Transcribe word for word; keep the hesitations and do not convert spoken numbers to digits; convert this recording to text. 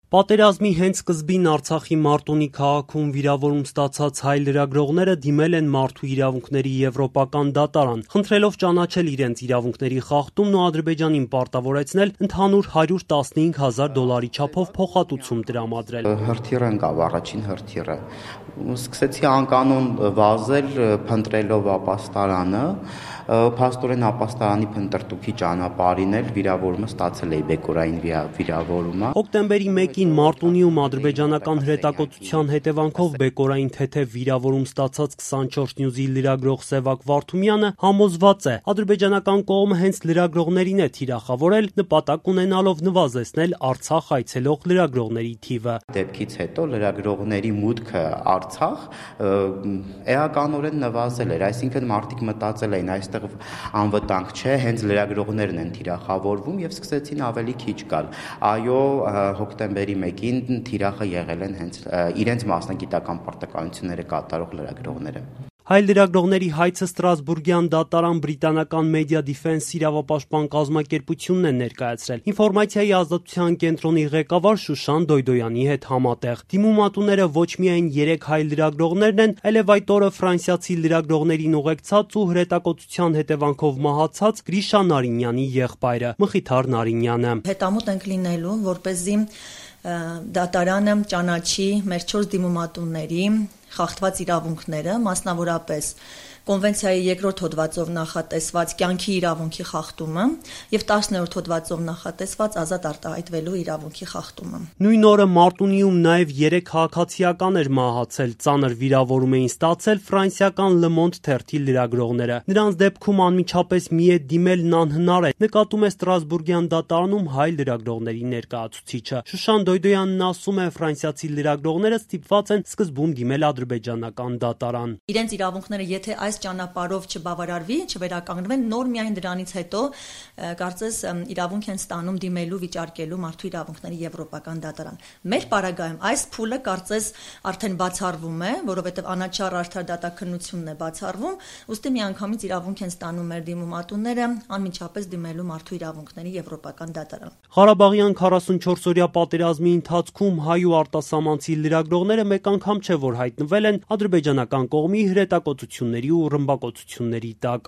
Պատերազմի հենց սկզբին Արցախի Մարտունի քաղաքում վիրավորում ստացած հայ լրագրողները դիմել են Մարդու իրավունքների եվրոպական դատարան, խնդրելով ճանաչել իրենց իրավունքների խախտումն ու Ադրբեջանին պարտավորեցնել ընդհանուր հարյուր տասնհինգ հազար դոլարի չափով փոխհատուցում տրամադրել։ Հրթիռ ընկավ, առաջին հրթիռը։ Սկսեցի անկանոն վազել, փնտրելով ապաստարանը, փաստորեն ապաստարանի փնտրտուքի ճանապարհին էլ վիրավորումը ստացել էի, բեկորային վիրավորումը։ Հոկտեմբերի մեկին Մարտունիում ադրբեջանական հրետակոծության հետևանքով բեկորային թեթև վիրավորում ստացած քսանչորս նյուզի լրագրող Սևակ Վարդումյանը համոզված է, ադրբեջանական կողմը հենց լրագրողներին է թիրախավորել, նպատակ ունենալով նվազեցնել Արցախ այցելող լրագրողների թիվը։ Դեպքից հետո լրագրողների մուտքը Արցախ էականորեն նվազել էր, այսինքն մարդիկ մտածել էին այստեղ անվտանգ չէ, հենց լրագրողներն են թիրախավորվում եւ սկսեցին ավելի քիչ գալ։ Այո, հոկտեմբերի մեկին թիրախը եղել են հենց իրենց մասնագիտական պարտականությունները կատարող լրագրողները։ Հայ լրագրողների հայցը Ստրասբուրգյան դատարան բրիտանական Media Defense իրավապաշտպան կազմակերպությունն է ներկայացրել։ Ինֆորմացիայի ազատության կենտրոնի ղեկավար Շուշան Դոյդոյանի հետ համատեղ։ Դիմումատուները ոչ միայն երեք հայ լրագրողներն են, այլև այդ օրը ֆրանսիացի լրագրողներին ուղեկցած ու հրետակոծության հետևանքով մահացած Գրիշա Նարինյանի եղբայրը Մխիթար Նարինյանը։ Հետամուտ ենք լինելու, որպեսզի դատարանը ճանաչի մեր չորս դիմումատուների խախտված իրավունքները, մասնավորապես Կոնվենցիայի երկրորդ հոդվածով նախատեսված կյանքի իրավունքի խախտումը եւ տասներորդ հոդվածով նախատեսված ազատ արտահայտվելու իրավունքի խախտումը։ Նույն օրը Մարտունիում նաեւ երեք քաղաքացիական էր մահացել, ծանր վիրավորում էին ստացել ֆրանսիական Le Monde թերթի լրագրողները։ Նրանց դեպքում անմիջապես միետ դիմելն անհնար է, նկատում է Ստրասբուրգյան դատարանում հայ լրագրողների ներկայացուցիչը։ Շուշան Դոյդոյանն ասում է, ֆրանսիացի լրագրողները ստիպված են սկզբում դիմել ադրբեջանական դատարան։ Իրենց իրավունքները եթե այս ճանապարհով չբավարարվի, չվերականգնվեն, նոր միայն դրանից հետո կարծես իրավունք են ստանում դիմելու վիճարկելու մարդու իրավունքների եվրոպական դատարան։ Մեր պարագայում այս փուլը կարծես արդեն բացառվում է, որովհետև անաչառ արդար դատաքննությունն է բացառվում, ուստի միանգամից իրավունք են ստանում մեր դիմումատուները անմիջապես դիմելու մարդու իրավունքների եվրոպական դատարան։ Ղարաբաղյան քառասունչորս օրյա պատերազմի ընթացքում հայ ու արտասահմանցի լրագրողները մեկ անգամ չէ որ հայտնվել են ադրբեջանական կողմի հրետակոծությունների ու ռմբակոծությունների տակ։